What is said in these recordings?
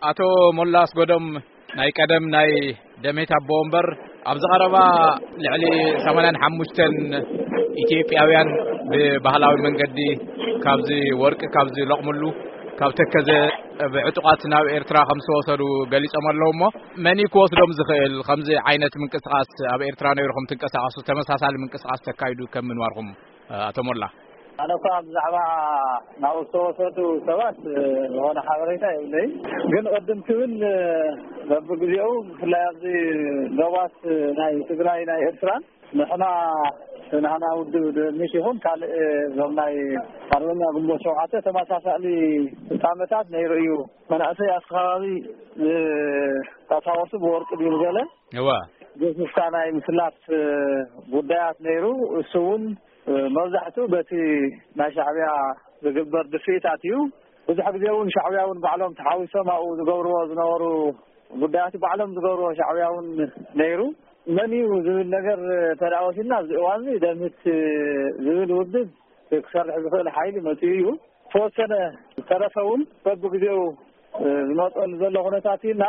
ኣቶ ሞላ ኣስጎዶም፣ ናይ ቀደም ናይ ደሜት ኣቦ ወንበር፣ ኣብዚ ቀረባ ልዕሊ ሰማንያን ሓሙሽተን ኢትዮጵያውያን ብባህላዊ መንገዲ ካብዚ ወርቂ ካብዚ ለቕምሉ ካብ ተከዘ ብዕጡቓት ናብ ኤርትራ ከም ዝተወሰዱ ገሊጾም ኣለዉ። እሞ መን እዩ ክወስዶም ዝኽእል? ከምዚ ዓይነት ምንቅስቃስ ኣብ ኤርትራ ነይርኩም ትንቀሳቀሱ፣ ተመሳሳሊ ምንቅስቃስ ተካይዱ ከም ምንባርኩም፣ ኣቶ ሞላ? ኣነ እኳ ብዛዕባ ናብኡ ዝተወሰዱ ሰባት ዝኾነ ሓበሬታ የብለይ። ግን ቅድም ክብል በብግዜኡ ብፍላይ ኣብዚ ዶባት ናይ ትግራይ ናይ ኤርትራን ንሕና ናህና ውድብ ድንሽ ይኹን ካልእ እዞም ናይ ኣርበኛ ግንቦት ሸውዓተ ተመሳሳሊ ፍጻመታት ነይሩ እዩ። መናእሰይ ኣብቲ ከባቢ ዝጣሳወሱ ብወርቂ ድዩ ገለ እዋ። ገፊፍካ ናይ ምስላፍ ጉዳያት ነይሩ። እሱ እውን መብዛሕትኡ በቲ ናይ ሻዕብያ ዝግበር ድፍኢታት እዩ። ብዙሕ ግዜ እውን ሻዕብያ እውን ባዕሎም ተሓዊሶም ኣብኡ ዝገብርዎ ዝነበሩ ጉዳያት ባዕሎም ዝገብርዎ ሻዕብያ እውን ነይሩ። መን እዩ ዝብል ነገር ተደኣ ወሲድና ኣብዚ እዋን እዚ ደምህት ዝብል ውድብ ክሰርሕ ዝኽእል ሓይሊ መፂኡ እዩ። ተወሰነ ዝተረፈ እውን በብግዜኡ ዝመፀሉ ዘሎ ኩነታት እዩ እና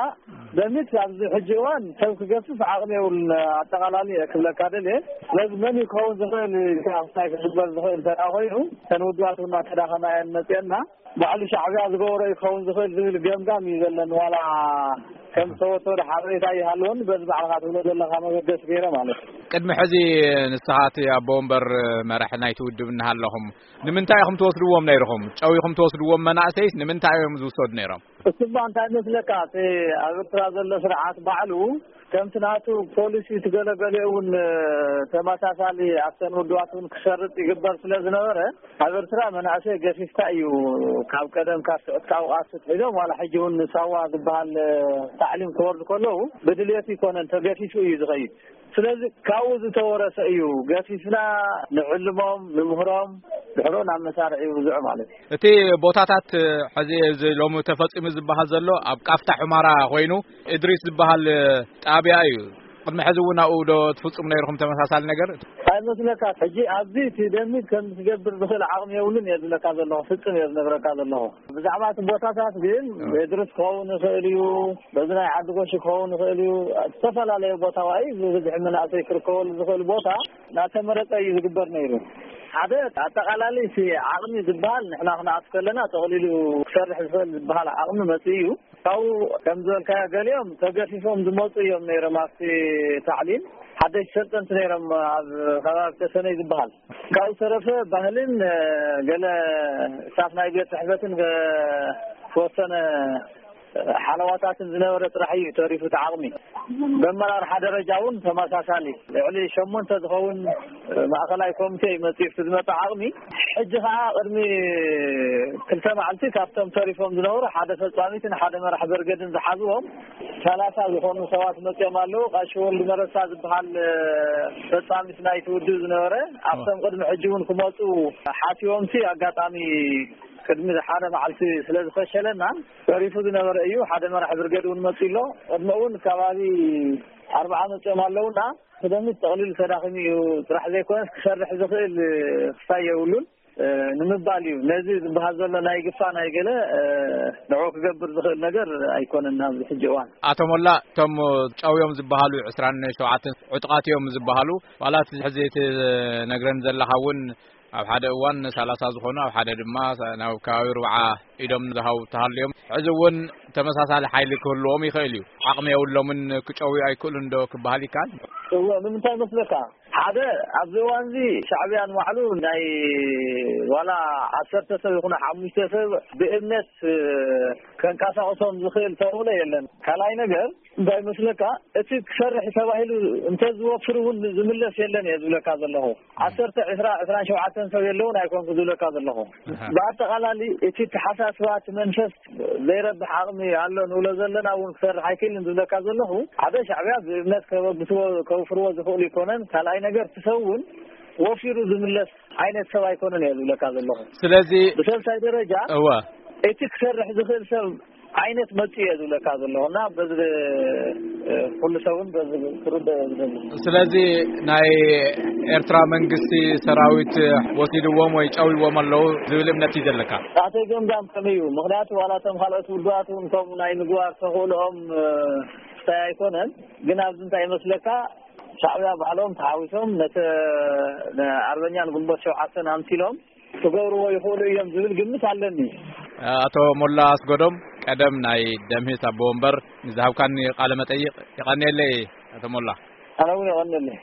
ደምህት ኣብዚ ሕጂ እዋን ሰብ ክገፍፍ ዓቕሚ የብሉን። ኣጠቓላሊ እየ ክብለካ ደልየ። ስለዚ መን እዩ ክኸውን ዝኽእል ኢልካ ክሳይ ክግበር ዝኽእል እንተ ደኣ ኮይኑ እተን ውድባት እውን እናተዳኸማ እየን መፅአና። ባዕሉ ሻዕብያ ዝገበሮ እዩ ክኸውን ዝኽእል ዝብል ገምጋም እዩ ዘለኒ። ዋላ ከም ዝተወሰደ ሓበሬታ ይሃልወኒ በዚ ባዕልኻ ትብሎ ዘለኻ መበገሲ ገይረ ማለት እዩ። ቅድሚ ሕዚ ንስኻ እቲ ኣቦ ወንበር መራሒ ናይቲ ውድብ እናሃለኹም ንምንታይ ኢኹም ትወስድዎም ነይርኹም? ጨዊኹም ትወስድዎም መናእሰይስ ንምንታይ እዮም ዝውሰዱ ነይሮም? እሱማ እንታይ መስለካ፣ እቲ ኣብ ኤርትራ ዘሎ ስርዓት ባዕሉ ከምቲ ናቱ ፖሊሲ ትገለገለ እውን ተመሳሳሊ ኣብተን ውድባት እውን ክሰርጥ ይግበር ስለ ዝነበረ ኣብ ኤርትራ መናእሰይ ገፊፍካ እዩ። ካብ ቀደም ካብ ስዑት ካብ ቃስ ትሒዞም ዋላ ሕጂ እውን ንሳዋ ዝበሃል ታዕሊም ክወርዱ ከለዉ ብድልየት ይኮነን ተገፊፉ እዩ ዝኸይድ። ስለዚ ካብኡ ዝተወረሰ እዩ። ገፊፍና ንዕልሞም ንምህሮም ድሕሮ ናብ መሳርዒ ይውዝዑ ማለት እዩ። እቲ ቦታታት ሕዚ እዚ ሎሚ ተፈጺሙ ዝበሃል ዘሎ ኣብ ቃፍታ ሑማራ ኮይኑ እድሪስ ዝበሃል ጣብያ እዩ። ቅድሚ ሕዚ እውን ኣብኡ ዶ ትፍጽሙ ነይርኩም ተመሳሳሊ ነገር? ኣይመስለካ ሕጂ ኣብዚ እቲ ደሚት ከም ዝገብር ዝኽእል ዓቕሚ የብሉን እየ ዝብለካ ዘለኹ። ፍጽም እየ ዝነግረካ ዘለኹ። ብዛዕባ እቲ ቦታታት ግን እድሪስ ክኸውን ይኽእል እዩ። በዚ ናይ ዓዲ ጎሽ ክኸውን ይኽእል እዩ። ዝተፈላለየ ቦታ ዋይ ብብዝሒ መናእሰይ ክርከበሉ ዝኽእል ቦታ እናተመረፀ እዩ ዝግበር ነይሩ። ሓደ ኣጠቓላሊ እቲ ዓቕሚ ዝበሃል ንሕና ክንኣቱ ከለና ጠቕሊሉ ክሰርሕ ዝኽእል ዝበሃል ዓቕሚ መፅኡ እዩ። ካብኡ ከም ዝበልካዮ ገሊኦም ተገፊፎም ዝመፁ እዮም ነይሮም ኣብቲ ታዕሊም። ሓደሽቲ ሰልጠንቲ ነይሮም ኣብ ከባቢ ተሰነይ ዝበሃል። ካብኡ ዝተረፈ ባህልን ገለ ስታፍ ናይ ቤት ፅሕፈትን ዝተወሰነ ሓለዋታትን ዝነበረ ጥራሕ እዩ ተሪፉ እቲ ዓቕሚ። ብኣመራርሓ ደረጃ እውን ተመሳሳሊ ልዕሊ ሸሞንተ ዝኸውን ማእኸላይ ኮሚቴ እዩ መፂኡ ዝመፀ ዓቕሚ። ሕጂ ከዓ ቅድሚ ክልተ መዓልቲ ካብቶም ተሪፎም ዝነበሩ ሓደ ፈፃሚትን ሓደ መራሕ በርገድን ዝሓዝዎም ሰላሳ ዝኾኑ ሰባት መፂኦም ኣለዉ። ቀሺ ወልድ መረሳ ዝበሃል ፈፃሚት ናይቲ ውድብ ዝነበረ ኣብቶም ቅድሚ ሕጂ እውን ክመፁ ሓቲዎምሲ ኣጋጣሚ ቅድሚ ሓደ መዓልቲ ስለ ዝፈሸለና ተሪፉ ዝነበረ እዩ። ሓደ መራሕ ብርገድ እውን መፂ ኣሎ። ቅድሚ እውን ከባቢ ኣርባዓ መፂኦም ኣለውና። ክደምት ጠቕሊሉ ተዳኺሙ እዩ። ጥራሕ ዘይኮነስ ክሰርሕ ዝኽእል ክሳይ የብሉን። ንምባል እዩ ነዚ ዝበሃል ዘሎ ናይ ግፋ ናይ ገለ ንዑ ክገብር ዝኽእል ነገር ኣይኮነን ኣብዚ ሕጂ እዋን። ኣቶ ሞላ፣ እቶም ጨውዮም ዝበሃሉ ዕስራን ሸውዓተን ዕጡቓት እዮም ዝበሃሉ፣ ዋላ እቲ ሕዚ ትነግረን ዘለኻ እውን ኣብ ሓደ እዋን ሰላሳ ዝኾኑ፣ ኣብ ሓደ ድማ ናብ ከባቢ ርብዓ ኢዶም ዝሃቡ ተሃልዮም፣ ሕዚ እውን ተመሳሳሊ ሓይሊ ክህልዎም ይኽእል እዩ። ዓቕሚ የብሎምን፣ ክጨውዩ ኣይክእሉን ዶ ክበሃል ይከኣል? እወ፣ ንምንታይ መስለካ? ሓደ ኣብዚ እዋን እዚ ሻዕብያ ንባዕሉ ናይ ዋላ ዓሰርተ ሰብ ይኹን ሓሙሽተ ሰብ ብእምነት ከንቀሳቕሶም ዝኽእል ተኽእሎ የለን። ካልኣይ ነገር እንታይ መስለካ፣ እቲ ክሰርሕ ተባሂሉ እንተዝወፍር እውን ዝምለስ የለን እየ ዝብለካ ዘለኹ። ዓሰርተ ዕስራ ዕስራን ሸውዓተን ሰብ የለውን ኣይኮንኩ ዝብለካ ዘለኹ። ብኣጠቓላሊ እቲ ተሓሳስባ እቲ መንፈስ ዘይረብሕ ዓቕሚ ኣሎ ንብሎ ዘለና እውን ክሰርሕ ኣይክእልን ዝብለካ ዘለኹ። ሓደ ሻዕብያ ብእምነት ከበግስዎ ከውፍርዎ ዝኽእሉ ይኮነን። ካልኣይ ነገር እቲ ሰብ እውን ወፊሩ ዝምለስ ዓይነት ሰብ ኣይኮነን እየ ዝብለካ ዘለኹ። ስለዚ ብሰልሳይ ደረጃ እወ። እቲ ክሰርሕ ዝኽእል ሰብ ዓይነት መጽኡ እየ ዝብለካ ዘለኹ እና በዚ ኩሉ ሰብን በዚ ክርደ ዝደሊ። ስለዚ ናይ ኤርትራ መንግስቲ ሰራዊት ወሲድዎም ወይ ጨዊዎም ኣለዉ ዝብል እምነት እዩ ዘለካ? ናተይ ገምጋም ከመይ እዩ? ምክንያቱ ዋላ እቶም ካልኦት ውድባት እውን ከምኡ ናይ ምግባር ተኽእልኦም ክታይ ኣይኮነን። ግን ኣብዚ እንታይ ይመስለካ፣ ሻዕብያ ባዕሎም ተሓዊሶም ነተ ኣርበኛን ግንቦት ሸውዓተን ኣምሲሎም ክገብርዎ ይኽእሉ እዮም ዝብል ግምት ኣለኒ። ኣቶ ሞላ ኣስጎዶም፣ ቀደም ናይ ደምህስ ኣቦ ወንበር፣ ንዝሃብካኒ ቃለ መጠይቕ የቐንየለይ። ኣቶ ሞላ። ኣነ እውን የቐንየለይ።